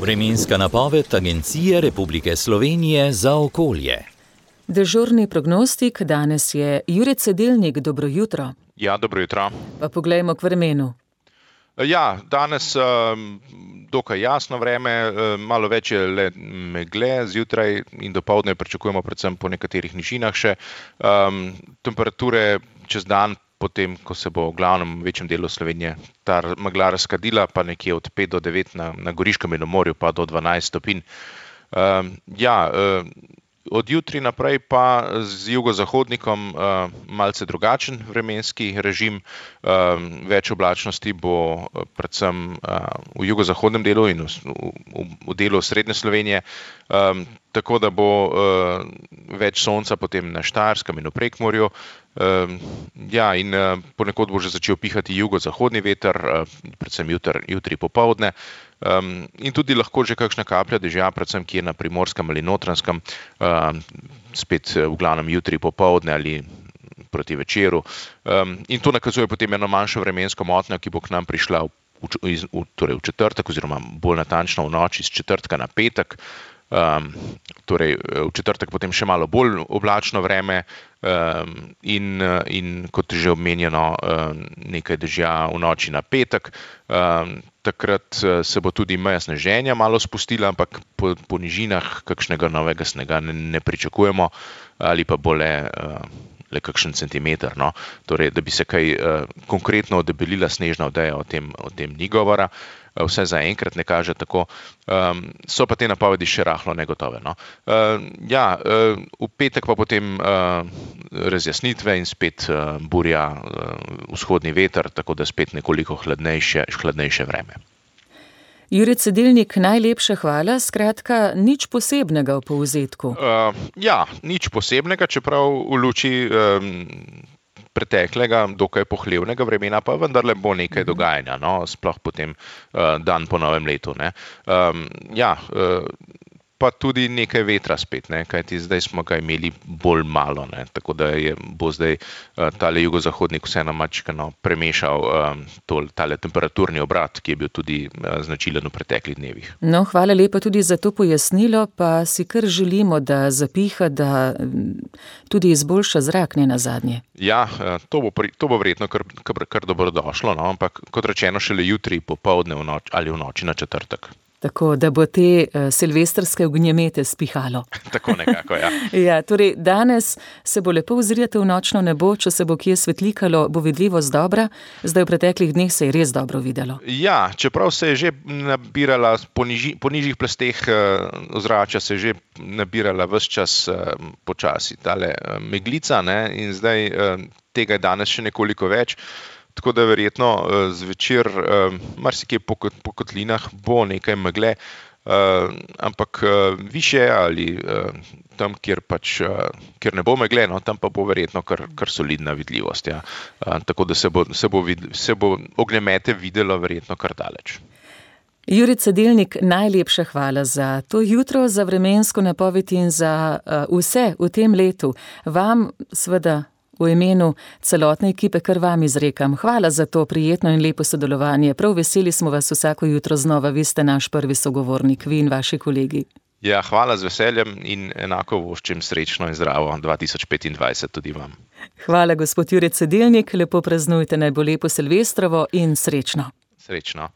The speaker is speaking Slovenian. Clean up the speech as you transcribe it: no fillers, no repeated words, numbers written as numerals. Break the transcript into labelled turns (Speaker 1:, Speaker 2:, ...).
Speaker 1: Vremenska napoved Agencije Republike Slovenije za okolje.
Speaker 2: Dežurni prognostik danes je Jure Cedelnik, dobro jutro.
Speaker 3: Ja, dobro jutro.
Speaker 2: Pa poglejmo k vremenu.
Speaker 3: Ja, danes dokaj jasno vreme, malo več je le megle, zjutraj in dopoldne pričakujemo predvsem po nekaterih nižinah še. Temperature čez dan, potem ko se bo v glavnem večjem delu Slovenije ta megla razkadila, pa nekje od 5 do 9 na Goriškem in na morju pa do 12 stopinj. Od jutri naprej pa z jugozahodnikom malce drugačen vremenski režim. Več oblačnosti bo predvsem v jugozahodnem delu in v delu srednje Slovenije, tako da bo več sonca potem na Štajerskem in v Prekmurju. In ponekod bo že začel pihati jugozahodni veter, predvsem jutri popoldne. In tudi lahko že kakšna kaplja dežja, predvsem kje na Primorskem ali Notranjskem, spet v glavnem jutri popoldne ali proti večeru. In to nakazuje potem eno manjšo vremensko motnjo, ki bo k nam prišla v četrtek oziroma bolj natančno v noči z četrtka na petek. Torej v četrtek potem še malo bolj oblačno vreme in kot že omenjeno nekaj dežja v noči na petek. Takrat se bo tudi meja sneženja malo spustila, ampak po nižinah kakšnega novega snega ne pričakujemo ali pa bo le kakšen centimeter. No. Torej, da bi se kaj konkretno odebelila snežna odeja, o tem ni govora. Vse zaenkrat ne kaže tako. So pa te napovedi še rahlo negotove. No. V petek pa potem razjasnitve in spet burja, vzhodni veter, tako da spet nekoliko hladnejše vreme.
Speaker 2: Jure Cedelnik, najlepša hvala, skratka, nič posebnega v povzetku.
Speaker 3: Nič posebnega, čeprav v luči preteklega, dokaj pohlevnega vremena, pa vendarle bo nekaj dogajanja, no, sploh potem dan po novem letu. Ne. Pa tudi nekaj vetra spet, ne, kajti zdaj smo ga imeli bolj malo, ne, tako da bo zdaj tale jugozahodnik vseeno mačkano premešal tale temperaturni obrat, ki je bil tudi značilen v preteklih dnevih.
Speaker 2: No, hvala lepa tudi za to pojasnilo, pa si kar želimo, da zapiha, da tudi izboljša zrak, ne nazadnje.
Speaker 3: Ja, to bo verjetno kar dobrodošlo, no, ampak kot rečeno šele jutri popoldne ali v noči na četrtek.
Speaker 2: Tako, da bo te silvestrske ognjemete spihalo.
Speaker 3: Tako nekako, ja.
Speaker 2: Ja, torej danes se bo lepo ozrjeti v nočno nebo, če se bo kje svetlikalo, bo vidljivost dobra, zdaj v preteklih dneh se je res dobro videlo.
Speaker 3: Ja, čeprav se je že nabirala po nižjih plasteh ozračja, se je že nabirala ves čas počasi tale meglica, ne, in zdaj tega je danes še nekoliko več. Tako da verjetno zvečer marsikje po kotlinah bo nekaj megle, ampak višje ali tam, kjer ne bo megle, no, tam pa bo verjetno kar solidna vidljivost. Ja. Tako da se bo ognjemete videlo verjetno kar daleč.
Speaker 2: Jure Cedelnik, najlepša hvala za to jutro, za vremensko napoved in za vse v tem letu. Vam seveda v imenu celotne ekipe kar vam izrekam. Hvala za to prijetno in lepo sodelovanje. Prav veseli smo vas vsako jutro znova. Vi ste naš prvi sogovornik, vi in vaši kolegi.
Speaker 3: Ja, hvala z veseljem in enako voščim srečno in zdravo 2025 tudi vam.
Speaker 2: Hvala, gospod Jure Cedelnik. Lepo praznujte, naj bo lepo silvestrovo in srečno.
Speaker 3: Srečno.